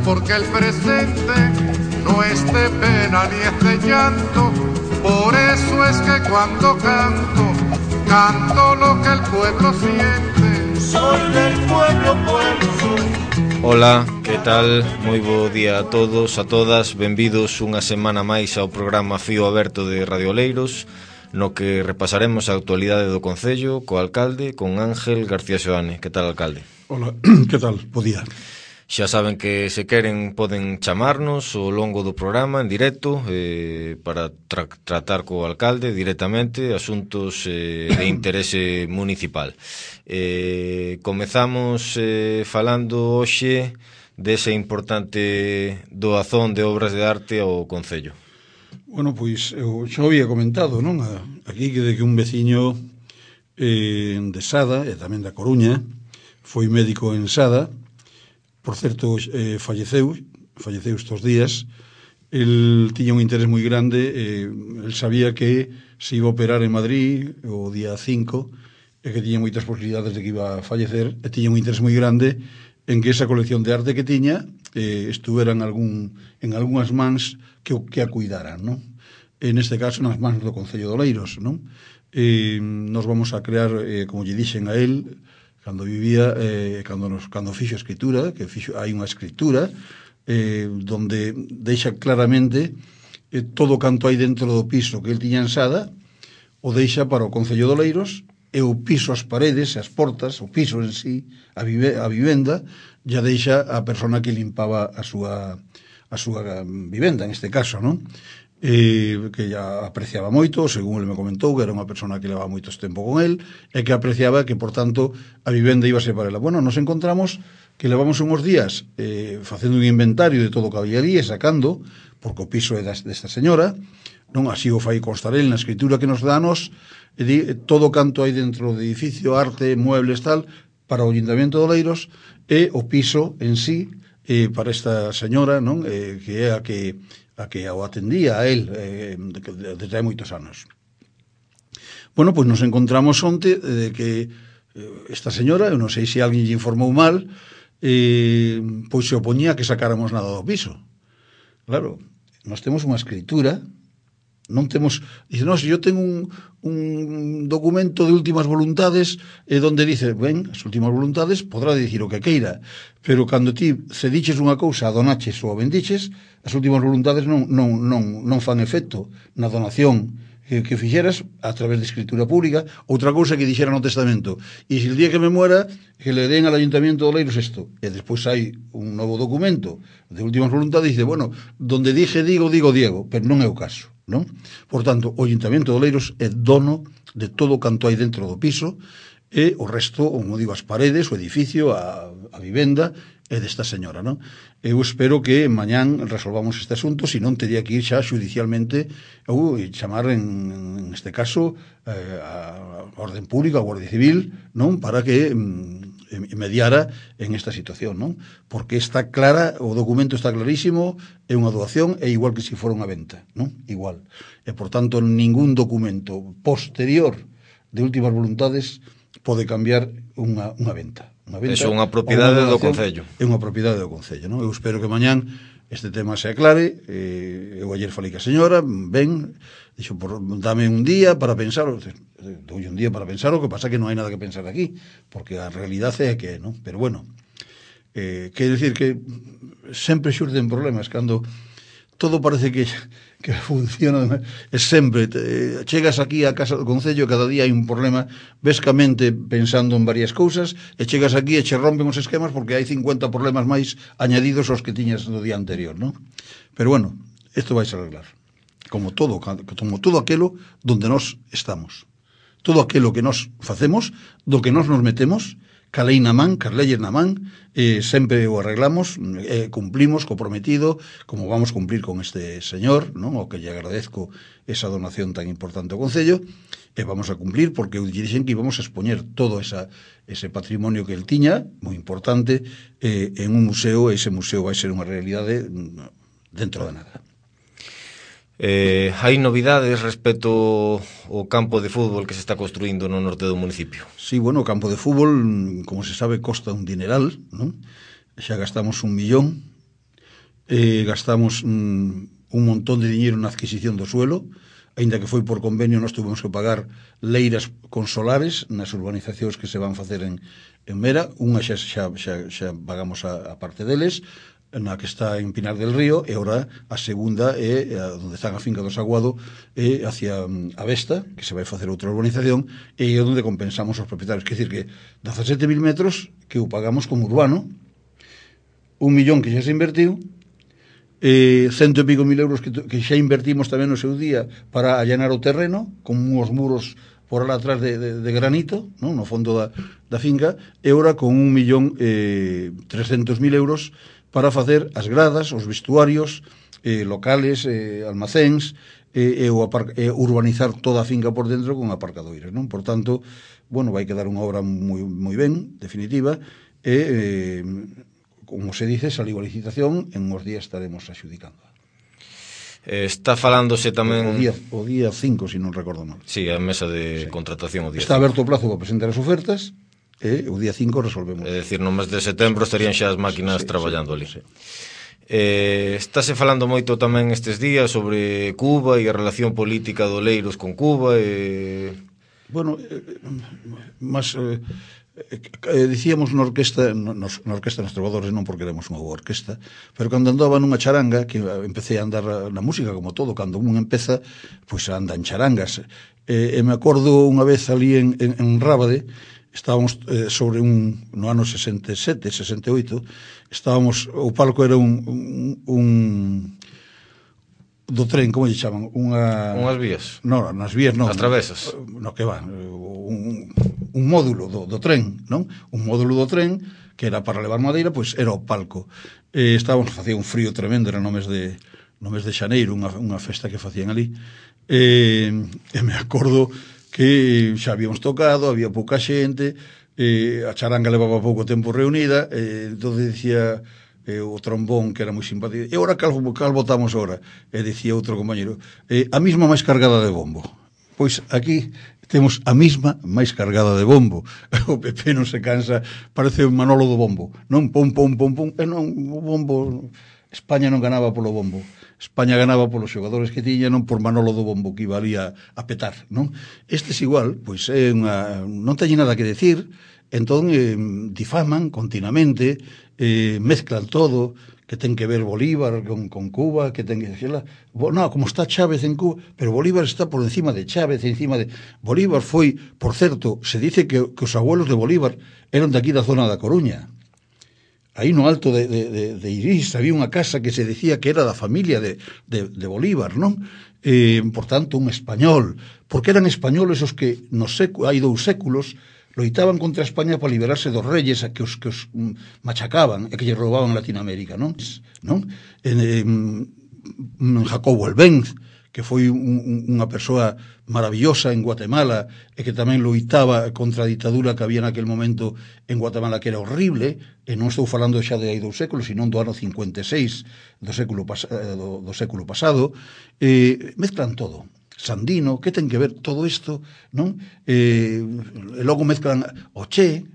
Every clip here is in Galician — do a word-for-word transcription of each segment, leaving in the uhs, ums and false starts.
porque el presente no es de pena ni es de llanto. Por eso es que cuando canto, canto lo que el pueblo siente. Soy del pueblo, pueblo soy. Ola, que tal? Moi bo día a todos, a todas. Benvidos unha semana máis ao programa Fío Aberto de Radio Oleiros, no que repasaremos a actualidade do Concello co alcalde, con Ángel García Xoane. Que tal, alcalde? Ola, que tal? Bo día. Xa saben que se queren poden chamarnos ao longo do programa en directo eh, para tra tratar co alcalde directamente asuntos eh, de interese municipal. Eh, comezamos eh, falando hoxe desa importante doazón de obras de arte ao Concello. Bueno, pois eu xa había comentado, non? Aquí que de que un veciño eh, de Sada e tamén da Coruña foi médico en Sada. Por certo, eh, falleceu, falleceu estes días. El tiña un interés moi grande, eh, el sabía que se iba a operar en Madrid o día cinco, e que tiña moitas posibilidades de que iba a fallecer, e tiña un interés moi grande en que esa colección de arte que tiña eh, estuvera en, algún, en algunhas mans que, que a cuidaran, non? En este caso, nas mans do Concello de Oleiros, non? Eh, nos vamos a crear, eh, como lle dixen a él, cando vivía, eh, cando, nos, cando fixo escritura, que fixo, hai unha escritura eh, donde deixa claramente eh, todo canto hai dentro do piso que el tiña en Sada, o deixa para o Concello de Oleiros, e o piso, as paredes, as portas, o piso en sí, a, vive, a vivenda, ya deixa a persona que limpaba a súa, a súa vivenda, en este caso, non? Eh, que ya apreciaba moito, según ele me comentou, que era unha persona que levaba moito tempo con el, e que apreciaba que, por tanto, a vivenda iba a ser para ela. Bueno, nos encontramos que levamos unhos días eh, facendo un inventario de todo o que había ali e sacando, porque o piso é desta señora, non así o fai constar el na escritura que nos danos, e di, todo canto hai dentro do edificio, arte, muebles, tal, para o Ayuntamiento de Oleiros, e o piso en sí, eh, para esta señora, non? Eh, que é a que a que o atendía a él eh, desde hai moitos anos. Bueno, pois nos encontramos onte de que eh, esta señora, eu non sei se alguén lle informou mal, eh, pois se opoñía a que sacáramos nada do piso. Claro, nós temos unha escritura, non temos, dice, non, se yo tengo un, un documento de últimas voluntades eh, donde dice, ben, as últimas voluntades podrá dicir o que queira, pero cando ti cediches unha cousa, donaches ou a vendiches, as últimas voluntades non, non, non, non fan efecto na donación que, que fixeras a través de escritura pública. Outra cousa que dixera no testamento, e se el día que me muera que le den al Ayuntamiento de Oleiros isto, e despois hai un novo documento de últimas voluntades e dice, bueno, donde dije digo, digo Diego, pero non é o caso, non? Por tanto, o Ayuntamiento de Oleiros é dono de todo canto hai dentro do piso, e o resto, como digo, as paredes, o edificio, a, a vivenda é desta señora, non? Eu espero que mañán resolvamos este asunto, se non teria que ir xa xudicialmente ou chamar en, en este caso eh, a orden pública, a Guardia Civil, non? Para que mm, mediara en esta situación, non? Porque está clara, o documento está clarísimo, é unha doación, é igual que se fora unha venta, non? Igual. E, por tanto, ningún documento posterior de últimas voluntades pode cambiar unha, unha venta. Unha venta. É unha propiedade do Concello. É unha propiedade do Concello, non? Eu espero que mañán este tema se aclare. Eh, eu ayer falei que a señora, ben, dixo, por, dame un día para pensar, doulle un día para pensar, o que pasa que non hai nada que pensar aquí, porque a realidade é que, non? Pero bueno, eh, quero dicir que sempre xurden problemas cando todo parece que que funciona, é sempre te, chegas aquí á casa do Concello, cada día hai un problema, vescamente pensando en varias cousas, e chegas aquí e che rompen os esquemas porque hai cincuenta problemas máis añadidos aos que tiñas no día anterior, non? Pero bueno, isto vai a arreglar, como todo, como todo aquilo donde nós estamos, todo aquilo que nós facemos, do que nós nos metemos, ca lei na man, cas leyes na man, eh, sempre o arreglamos, eh, cumplimos co prometido, como vamos cumplir con este señor, non? O que lle agradezco esa donación tan importante ao Concello, e vamos a cumplir porque lle dixen que íbamos a expoñer todo esa, ese patrimonio que el tiña, moi importante, eh, en un museo, e ese museo vai ser unha realidade dentro de nada. Eh, hai novidades respecto ao campo de fútbol que se está construindo no norte do municipio? Sí, bueno, o campo de fútbol, como se sabe, costa un dineral, non? Xa gastamos un millón, eh, gastamos mm, un montón de diñeiro na adquisición do suelo, aínda que foi por convenio, nós tuvemos que pagar leiras con solares nas urbanizacións que se van facer en, en Mera. Unha xa, xa, xa, xa pagamos a, a parte deles, na que está en Pinar del Río, e ora a segunda é a, onde está a finca do Saguado, é hacia a Vesta, que se vai facer outra urbanización, e é onde compensamos os propietarios. Quer dizer que dezasete mil metros que o pagamos como urbano, un millón que xa se invertiu, eh, cento e pico mil euros que, que xa invertimos tamén no seu día para allanar o terreno, con uns muros por alá atrás de, de, de granito, non? No fondo da, da finca, e ora con un millón eh, trescentos mil euros para facer as gradas, os vestuarios, eh, locales, eh, almacéns, e, e, o apar, e urbanizar toda a finca por dentro con aparcadoiras, non? Por tanto, bueno, vai quedar unha obra moi, moi ben, definitiva, e, eh, como se dice, saliu a licitación, en uns días estaremos axudicando. Eh, está falándose tamén... O día, o día cinco, se si non recordo mal. Sí, a mesa de sí. contratación o día está cinco. Aberto o plazo para presentar as ofertas, e o día cinco resolvemos. É dicir, no mes de setembro estarían xa as máquinas sí, traballando sí, ali. Sí. Eh, estáse falando moito tamén estes días sobre Cuba e a relación política do Oleiros con Cuba. E... Bueno, eh, mas... Eh, eh, dicíamos na orquesta, na, na orquesta nos trovadores, non porque éramos unha boa orquesta, pero cando andaba nunha charanga, que empecé a andar na música como todo, cando un empeza, pois anda en charangas. Eh, e me acordo unha vez ali en, en, en Rábade, estábamos eh, sobre un, no ano sesenta e sete, sesenta e oito, estábamos, o palco era un, un, un do tren, como lle chaman? Unha... Unhas vías? Non, nas vías non. As travesas? No, que van, un, un módulo do, do tren, non? Un módulo do tren que era para levar madeira, pois era o palco. Eh, estábamos, facía un frío tremendo, era no mes de, no mes de xaneiro, unha, unha festa que facían ali. Eh, e me acordo que xa habíamos tocado, había pouca xente, eh, a charanga levaba pouco tempo reunida, eh, entón dicía eh, o trombón, que era moi simpático, e ora cal, cal votamos ora? E dicía outro compañero, eh, a misma máis cargada de bombo. Pois aquí temos a misma máis cargada de bombo. O P P non se cansa, parece un Manolo do bombo, non? Pum, pum, pum, pum, e non, o bombo... España non ganaba polo bombo. España ganaba polos xogadores que tiña, non por Manolo do bombo que iba ali a, a petar, non? Estes igual, pois é unha, non teñen nada que decir, entón eh, difaman continuamente, eh, mezclan todo, que ten que ver Bolívar con, con Cuba, que ten que decirla, no, como está Chávez en Cuba, pero Bolívar está por encima de Chávez, encima de... Bolívar foi, por certo, se dice que, que os abuelos de Bolívar eran de aquí da zona da Coruña. Aí no alto de, de, de, de Irís había unha casa que se decía que era da familia de, de, de Bolívar, non? Eh, por tanto, un español, porque eran españoles os que nos séculos, hai dous séculos loitaban contra España para liberarse dos reyes a que os, que os um, machacaban e que lle roubaban Latinoamérica, non? non? En, en Jacobo Elvenz, que foi un, un, unha persoa maravillosa en Guatemala e que tamén loitaba contra a ditadura que había naquel momento en Guatemala, que era horrible, e non estou falando xa de aí dous séculos, sino do ano cincuenta e seis do século, pas, do, do século pasado. Eh, mezclan todo. Sandino, que ten que ver todo isto, non? Eh, e logo mezclan o Che,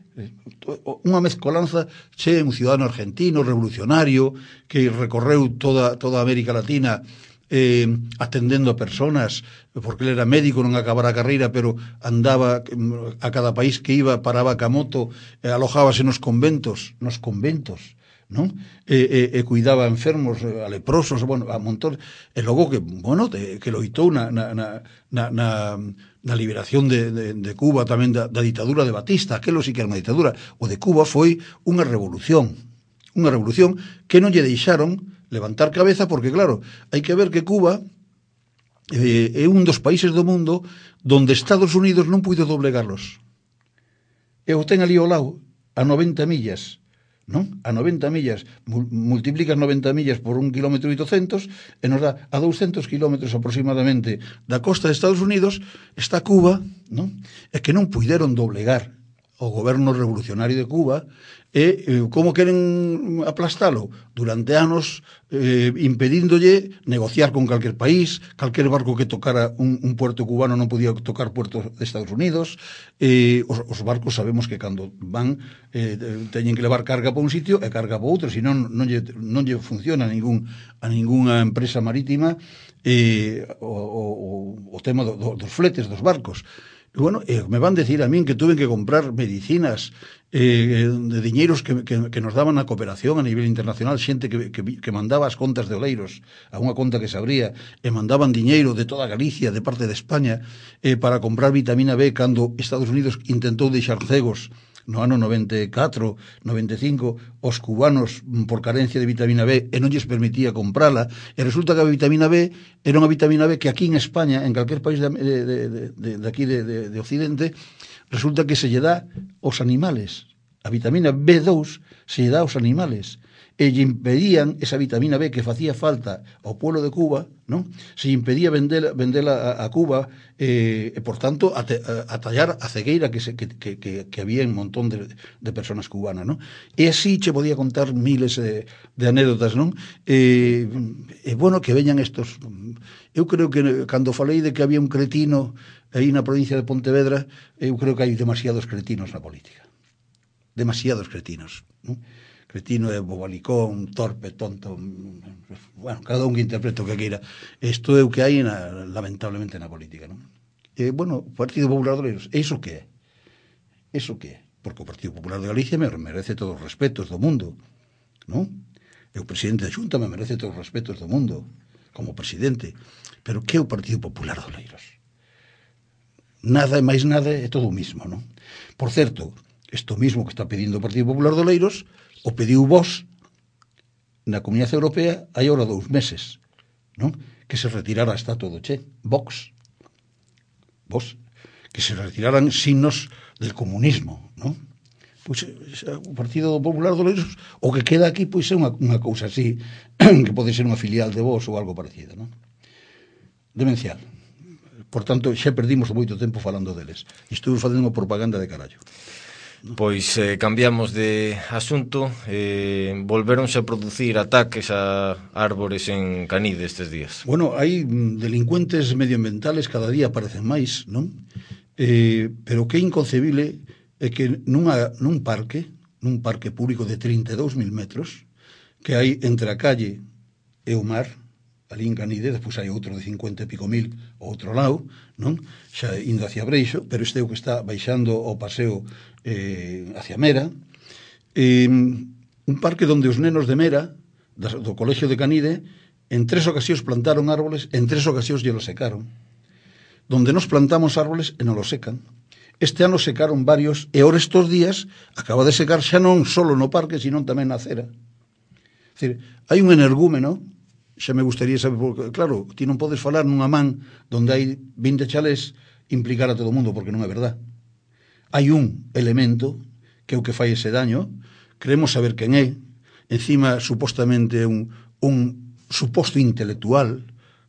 unha mezcolanza. Che, un ciudadano argentino, revolucionario, que recorreu toda, toda América Latina eh, atendendo a personas, porque ele era médico, non acabara a carreira, pero andaba a cada país que iba, paraba ca moto, e alojábase nos conventos, nos conventos, non? E, e, e cuidaba a enfermos, a leprosos, bueno, a montón, e logo que, bueno, de, que loitou na, na, na, na, na liberación de, de, de Cuba, tamén da, da ditadura de Batista. Aquelo sí que era unha ditadura. O de Cuba foi unha revolución, unha revolución que non lle deixaron levantar cabeza, porque claro, hai que ver que Cuba eh, é un dos países do mundo donde Estados Unidos non puido doblegarlos. E o ten ali ao lado, a noventa millas, non? A noventa millas, multiplicas noventa millas por un kilómetro e oitocentos, e nos dá a douscentos kilómetros aproximadamente da costa de Estados Unidos, está Cuba, non? É que non puideron doblegar ao goberno revolucionario de Cuba e eh, como queren aplastalo durante anos eh, impedíndolle negociar con calquer país, calquer barco que tocara un, un puerto cubano non podía tocar puertos de Estados Unidos. Eh, os, os barcos sabemos que cando van eh, teñen que levar carga para un sitio e carga para outro, senón non lle, non lle funciona a, ningún, a ninguna empresa marítima eh, o, o, o tema do, do, dos fletes dos barcos. E, bueno, eh, me van decir a min que tuve que comprar medicinas eh, de diñeiros que, que, que nos daban a cooperación a nivel internacional, xente que, que, que mandaba as contas de Oleiros a unha conta que se abría, e mandaban diñeiro de toda Galicia, de parte de España, eh, para comprar vitamina B cando Estados Unidos intentou deixar cegos no ano noventa e catro, noventa e cinco, os cubanos por carencia de vitamina B e non lles permitía comprala, e resulta que a vitamina B era unha vitamina B que aquí en España, en calquer país de, de, de, de, de aquí de, de, de Occidente, resulta que se lle dá aos animales. A vitamina B dous se lle dá aos animales, e lle impedían esa vitamina B que facía falta ao pueblo de Cuba, non? Se lle impedía vendela, vendela a, a Cuba, eh, e por tanto a, te, a, a tallar a cegueira que, se, que, que, que, que había en un montón de, de personas cubanas, non? E así che podía contar miles de, de anécdotas, non? E, e bueno, que veñan estos... Eu creo que cando falei de que había un cretino aí na provincia de Pontevedra, eu creo que hai demasiados cretinos na política. Demasiados cretinos, non? Cretino é bobalicón, torpe, tonto, bueno, cada un que interprete o que queira. Isto é o que hai, na, lamentablemente, na política, non? E, bueno, o Partido Popular de Oleiros, iso que é? Iso que é? Porque o Partido Popular de Galicia me merece todos os respetos do mundo, non? E o presidente da Xunta me merece todos os respetos do mundo, como presidente. Pero que é o Partido Popular de Oleiros? Nada e máis nada é todo o mismo, non? Por certo, isto mismo que está pedindo o Partido Popular de Oleiros o pediu vos na Comunidade Europea hai ahora dous meses, non? Que se retirara a estatua do Che, Vox, vos, que se retiraran signos del comunismo, non? Pois o Partido Popular de Oleiros, o que queda aquí pois é unha, unha cousa así, que pode ser unha filial de vos ou algo parecido, non? Demencial. Por tanto, xa perdimos moito tempo falando deles. Estou facendo unha propaganda de carallo. Pois eh, cambiamos de asunto, eh, volveronse a producir ataques a árbores en Canide estes días. Bueno, hai delincuentes medioambientales cada día aparecen máis, non? Eh, pero que é inconcebible é que nunha, nun parque, nun parque público de trinta e dous mil metros, que hai entre a calle e o mar, ali en Canide, despois hai outro de cincuenta e pico mil ao outro lado, non? Xa indo hacia Breixo, pero este é o que está baixando o paseo eh, hacia Mera. Eh, un parque onde os nenos de Mera, do Colexio de Canide, en tres ocasións plantaron árboles, en tres ocasións lle lo secaron. Donde nos plantamos árboles e non lo secan. Este ano secaron varios, e ahora estes días acaba de secar xa non solo no parque, sino tamén na acera. É dicir, hai un energúmeno. Xa me gustaría saber, porque, claro, ti non podes falar nunha man donde hai vinte chalés implicar a todo o mundo, porque non é verdad. Hai un elemento que é o que fai ese daño, queremos saber quen é, encima, supostamente, un, un suposto intelectual,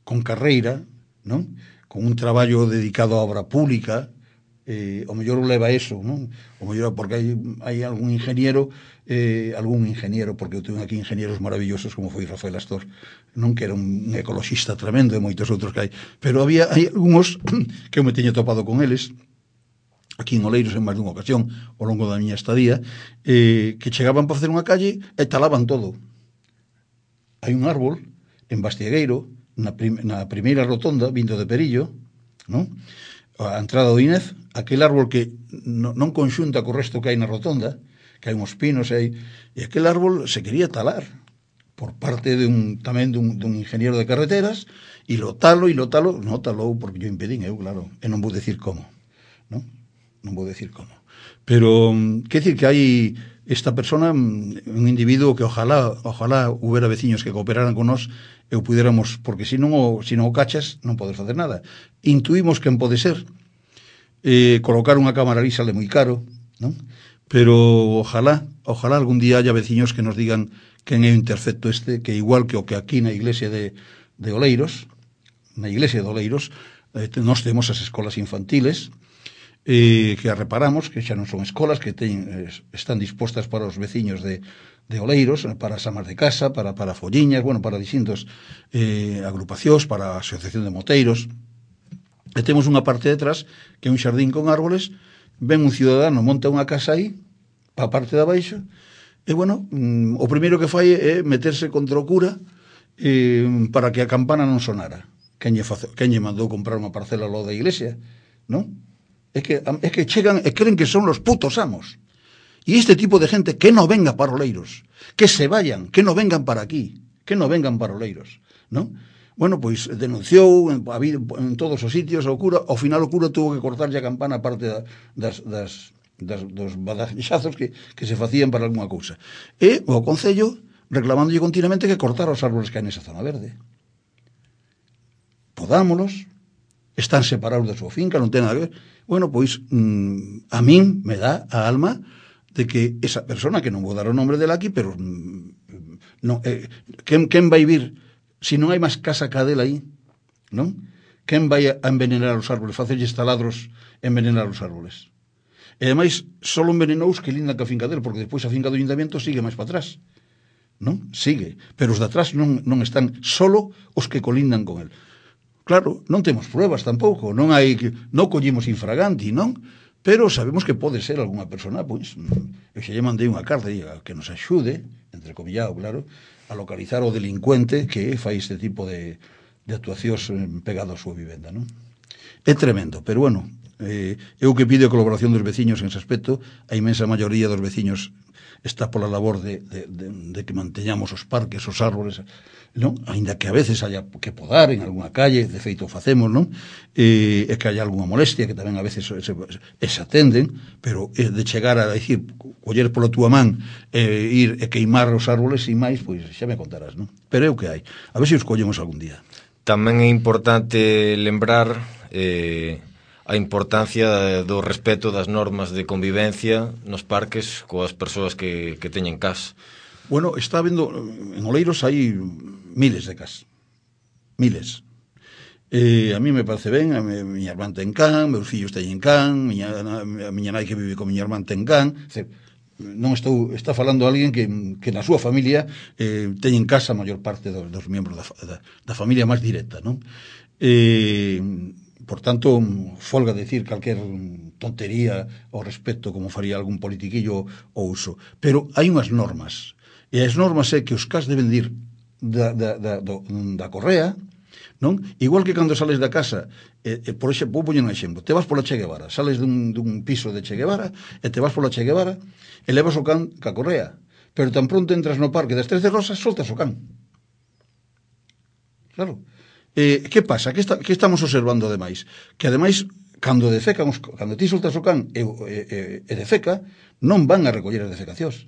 con carreira, non? Con un traballo dedicado á obra pública, eh, o mellor leva eso, non? O mellor porque hai, hai algún ingeniero, eh, algún ingeniero, porque eu teño aquí ingenieros maravillosos como foi Rafael Astor, non que era un ecoloxista tremendo e moitos outros que hai, pero había hai algúns que eu me teño topado con eles aquí en Oleiros en máis dunha ocasión ao longo da miña estadía, eh, que chegaban para facer unha calle e talaban todo. Hai un árbol en Bastiegueiro, na, prim na primeira rotonda, vindo de Perillo, non? A entrada do I N E F, aquel árbol que non, non conxunta co resto que hai na rotonda, que hai uns pinos, hai, e aquel árbol se quería talar por parte de un, tamén dun, dun ingeniero de carreteras, e lo talo, e lo talo, non talou porque yo impedín, eu, claro, e non vou decir como, non? Non vou decir como. Pero, que decir que hai esta persona, un individuo que ojalá, ojalá hubiera veciños que cooperaran con nós, e o puderamos, porque se non o, se non o cachas, non podes facer nada. Intuimos quen pode ser, eh, colocar unha cámara lisa é moi caro, non? Pero ojalá, ojalá algún día haya veciños que nos digan quen é o intercepto este, que igual que o que aquí na iglesia de, de Oleiros, na iglesia de Oleiros, eh, nós temos as escolas infantiles, eh, que a reparamos, que xa non son escolas, que teñen, eh, están dispostas para os veciños de, de Oleiros, para as amas de casa, para, para folliñas, bueno, para distintos eh, agrupacións, para a Asociación de Moteiros. E temos unha parte detrás, que é un xardín con árboles, ven un ciudadano, monta unha casa aí, pa a parte de abaixo, e, bueno, mm, o primeiro que fai é meterse contra o cura eh, para que a campana non sonara. Quen lle, face, quen lle mandou comprar unha parcela ao lado da iglesia, non? É que, é que chegan e creen que son los putos amos. E este tipo de gente que non venga para Oleiros, que se vayan, que non vengan para aquí, que non vengan para Oleiros, non? Bueno, pois denunciou en, en todos os sitios ao cura, ao final o cura tuvo que cortarlle a campana a parte da, das, das, das, dos badaxazos que, que se facían para alguna cousa. E o Concello reclamándolle continuamente que cortara os árboles que hai nesa zona verde. Podámolos, están separados da súa finca, non ten nada que ver. Bueno, pois mmm, a min me dá a alma de que esa persona, que non vou dar o nombre dela aquí, pero mmm, non, eh, quen, quen vai vir se non hai máis casa ca dela aí, non? Quen vai a envenenar os árboles, facerlle taladros, envenenar os árboles? E ademais, só envenenou os que lindan ca finca dela, porque despois a finca do ayuntamiento sigue máis para atrás, non? Sigue, pero os de atrás non, non están, solo os que colindan con el. Claro, non temos pruebas tampouco, non hai, non collimos infraganti, non? Pero sabemos que pode ser algunha persona, pois, eu xa lle mandei unha carta que nos axude, entrecomillado, claro, a localizar o delincuente que fai este tipo de, de actuacións pegado á súa vivenda, non? É tremendo, pero bueno, eh, eu que pido a colaboración dos veciños en ese aspecto, a inmensa maioría dos veciños está pola labor de, de, de, de que manteñamos os parques, os árboles, non? Ainda que a veces haya que podar en algunha calle, de feito facemos, non? E, e que haya algunha molestia, que tamén a veces se, se, se atenden, pero é de chegar a decir, coller pola túa man e ir e queimar os árboles sin máis, pois xa me contarás, non? Pero é o que hai, a ver se os collemos algún día. Tamén é importante lembrar eh, a importancia do respeto das normas de convivencia nos parques coas persoas que, que teñen cas. Bueno, está vendo, en Oleiros hai miles de cas, miles. Eh, a mí me parece ben, a mi, miña irmán ten can, meus fillos teñen can, miña, a miña nai que vive con miña irmán ten can, ce, non estou, está falando alguén que, que na súa familia eh, teñen casa a maior parte dos, dos membros da, da, da familia máis directa, non? Eh, por tanto, folga decir calquer tontería ao respecto como faría algún politiquillo ou uso, pero hai unhas normas, e as normas é que os cas deben dir da, da, da, do, da correa, non? Igual que cando sales da casa, eh, eh, por exemplo, vou poñer un exemplo, te vas pola Che Guevara, sales dun, dun piso de Che Guevara, e te vas pola Che Guevara, e levas o can ca correa, pero tan pronto entras no parque das Trece Rosas, soltas o can. Claro. Eh, que pasa? Que, está, que estamos observando ademais? Que ademais, cando defecan, os, cando ti soltas o can e, e, e defeca, non van a recoller as defecacións.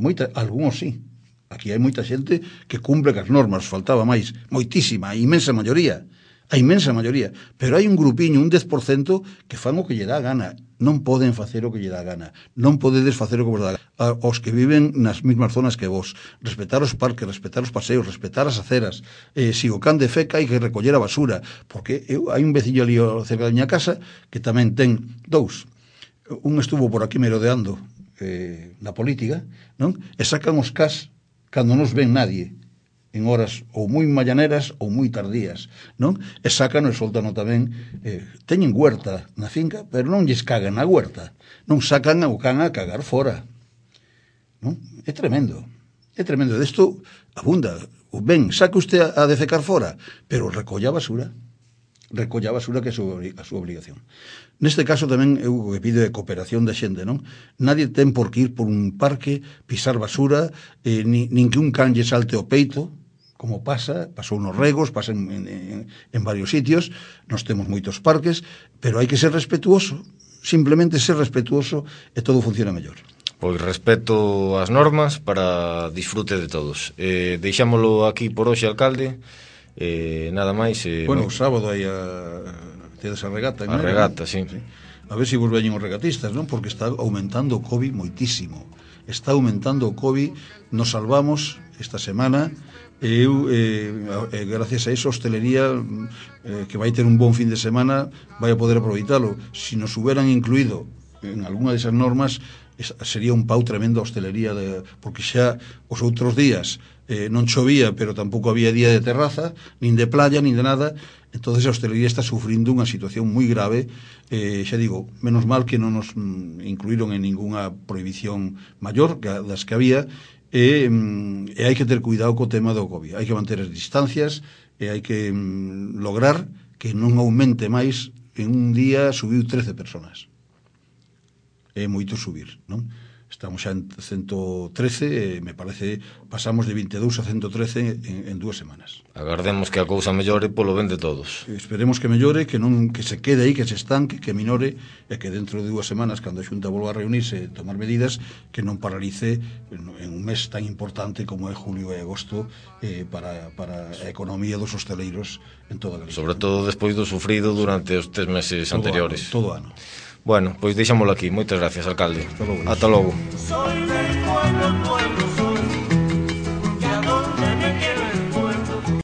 Moita, algúns sí. Aquí hai moita xente que cumpre cas normas, faltaba máis, moitísima, a inmensa maioría, a inmensa maioría, pero hai un grupiño, un dez por cento, que fan o que lle dá gana, non poden facer o que lle dá gana, non podedes facer o que vos dá gana. Os que viven nas mesmas zonas que vos, respetar os parques, respetar os paseos, respetar as aceras, eh, si o can de feca hai que recoller a basura, porque eu, hai un vecillo ali cerca da miña casa que tamén ten dous, un estuvo por aquí merodeando eh, na política, non? E sacan os cas cando non os ven nadie, en horas ou moi mañaneras ou moi tardías, non? E sacan e soltan tamén, eh, teñen huerta na finca, pero non lles cagan na huerta, non sacan o can a cagar fora, non? É tremendo, é tremendo, desto abunda, ben, saque usted a, a defecar fora, pero recolla a basura, recolla a basura que é a súa, a súa obligación. Neste caso tamén eu que pido é cooperación da xente, non? Nadie ten por que ir por un parque, pisar basura, eh, ni, nin que un can lle salte o peito, como pasa, pasou nos Regos, pasa en, en, en varios sitios, nos temos moitos parques, pero hai que ser respetuoso, simplemente ser respetuoso e todo funciona mellor. Pois respeto as normas para disfrute de todos. Eh, deixámolo aquí por hoxe, alcalde. Eh, nada máis. Eh, bueno, no... o sábado hai a... tedes a regata. A regata, sí. sí. A ver se si vos veñen os regatistas, non? Porque está aumentando o COVID moitísimo. Está aumentando o COVID. Nos salvamos esta semana e eu, eh, eh, gracias a eso, a hostelería eh, que vai ter un bon fin de semana vai a poder aproveitalo. Si nos huberan incluído en algunha desas normas, sería un pau tremendo a hostelería de, porque xa os outros días eh, non chovía, pero tampouco había día de terraza, nin de playa, nin de nada. Entonces a hostelería está sufrindo unha situación moi grave. Eh, xa digo, menos mal que non nos mm, incluíron en ninguna prohibición maior que das que había, e, mm, e hai que ter cuidado co tema do COVID. Hai que manter as distancias e hai que mm, lograr que non aumente máis. En un día subiu trece personas. É moito subir, non? Estamos xa en ciento trece e me parece pasamos de vinte e dous a ciento trece en, en dúas semanas. Agardemos que a cousa mellore polo ben de todos. Esperemos que mellore, que non que se quede aí, que se estanque, que minore e que dentro de dúas semanas, cando a Xunta volva a reunirse e tomar medidas, que non paralice en un mes tan importante como é julio e agosto eh, para, para a economía dos hosteleiros en toda a Galicia. Sobre todo despois do sufrido durante os tres meses todo anteriores. Ano, todo ano. Bueno, pois deixámoslo aquí. Moitas gracias, alcalde. Hasta logo. Ata logo. Soy del pueblo.